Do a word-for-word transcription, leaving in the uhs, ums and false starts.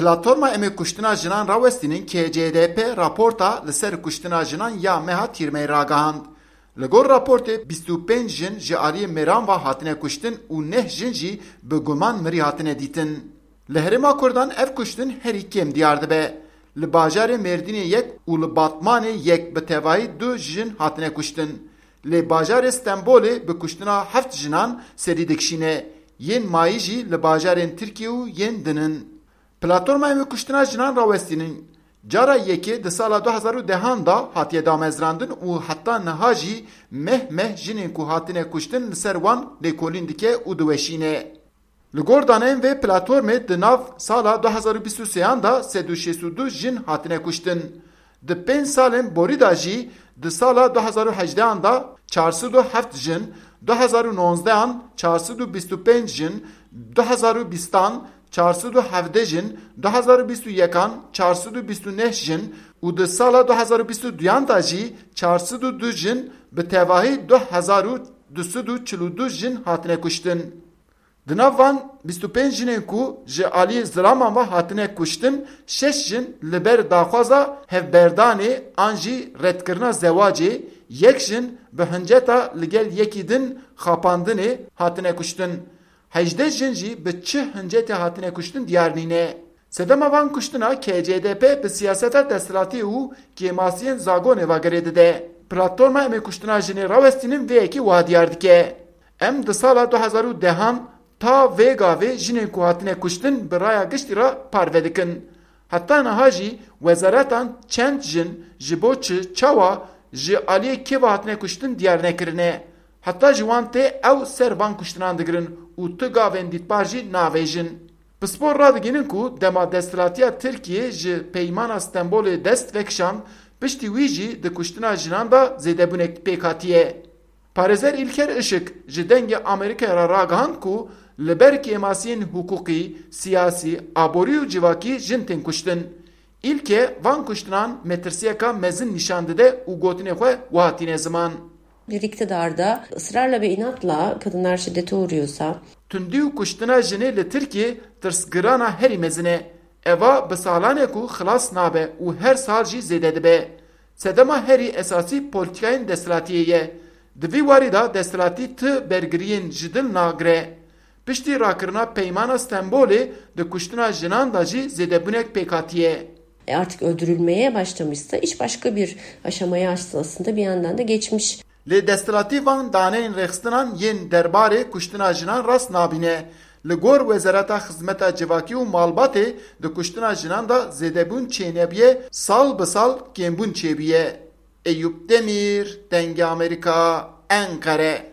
Platforma Em ê Kuştina Jinan Rawestînin, K C D P, raporta li ser kuştina jinan ya meha Tîrmeyê ragihand. Li gor raportê, bîst û pênc jin ji aliyê mêran ve hatine kuştin û neh jin jî bi guman mirî hatine dîtin. Li Herêma Kurdan ev kuştin herî kêm diyar dibe. Li bajarê Mêrdînê yek û li Batmanê yek bi tevahî du jin hatine kuştin. Lê bajarê Stenbolê bi kuştina heft jinan serî dikişîne. Yên mayî jî li bajarên Tirkiyê û yên din in. Platforma Em ê Kuştina Jinan Rawestînin cara yekê di sala du hezar û dehan de hatiye damezrandin û heta niha jî meh meh jinên ku hatine kuştin li ser wan lêkolîn dike û diweşîne. Li gor daneyên vê platformê, di nav sala du hezar û bîst û sêyan de sed û şêst û du jin hatine kuştin. Di pênc salên borî de jî, di sala du hezar û hejdehan de çar sed û heft jin, du hezar û nozdehan çar sed û bîst û pênc jin, du hezar û bîstan çar sed û hevdeh jin, du hezar û bîst û yekan çar sed û bîst û neh jin û di sala du hezar û bîst û duyan de jî çar sed û du jin, bi tevahî du hezar û du sed û çil û du jin hatine kuştin. Di nav van bîst û pênc jinên ku ji alî zilaman ve hatine kuştin, şeş jin li ber daxwaza hevberdanê an jî redkirina zewacê, yek jin bi hinceta li gel yekî din xapandinê hatine kuştin. Hejdeh jin jî bi çi hincetê hatine kuştin diyar nîne. Sedema van kuştina K C D P bi siyaseta desthilatiyê û kêmasiyên zagonê ve girê dide. Platforma Em ê Kuştina Jinê Rawestînin vê yekê wiha diyar dike. Em di sala du hezar û dehan ta vê gavê jinên ku hatine kuştin bi raya giştî re parve dikin. Heta niha jî wezaretan çend jin, ji bo çi, çawa, ji aliyê kê ve hatine kuştin diyar nekirine. Heta ji wan tê ew ser van kuştinan digirin û tu gavên dîtbar jî navêjin. Pispor radigihînin ku dema desthilatiya Tirkiyê ji Peymana Stenbolê dest vekişand, piştî wî jî di kuştina jinan de zêdebûnek pêk hatiye. Parêzer Îlker Işık ji Dengê Amerîkayê re ragihand ku li ber kêmasiyên hiqûqî, siyasî, aborî û civakî jin tên kuştin. Îlke van kuştinan metirsiyeka mezin nîşan dide û gotinê xwe wiha tîne ziman. Bir iktidarda ısrarla ve inatla kadınlar şiddete uğruyorsa, Tundî û kuştina jinê li Tirkiyê tirsgirana herî mezin e. Eva bi salan e ku xilas nabe û her sal jî zêde dibe. Sedema herî esasî polîtîkayên desthilatiyê ye. Di vî warî de desthilatî ti bergiriyên ji dil nagire. Piştî rakirina Peymana Stenbolê di kuştina jinan de jî zêdebûnek pêk hatiye. E, artık öldürülmeye başlamışsa iş başka bir aşamaya aslında bir yandan da geçmiş. Lê desthilatî van daneyên rêxistinan yên derbarê kuştina jinan rast nabîne. Li gor Wezareta Xizmeta Civakî û Malbatê, di kuştina jinan de zêdebûn çênebiye, sal bi sal kêmbûn çêbûye. Eyûp Demîr, Dengê Amerîka, Enqere.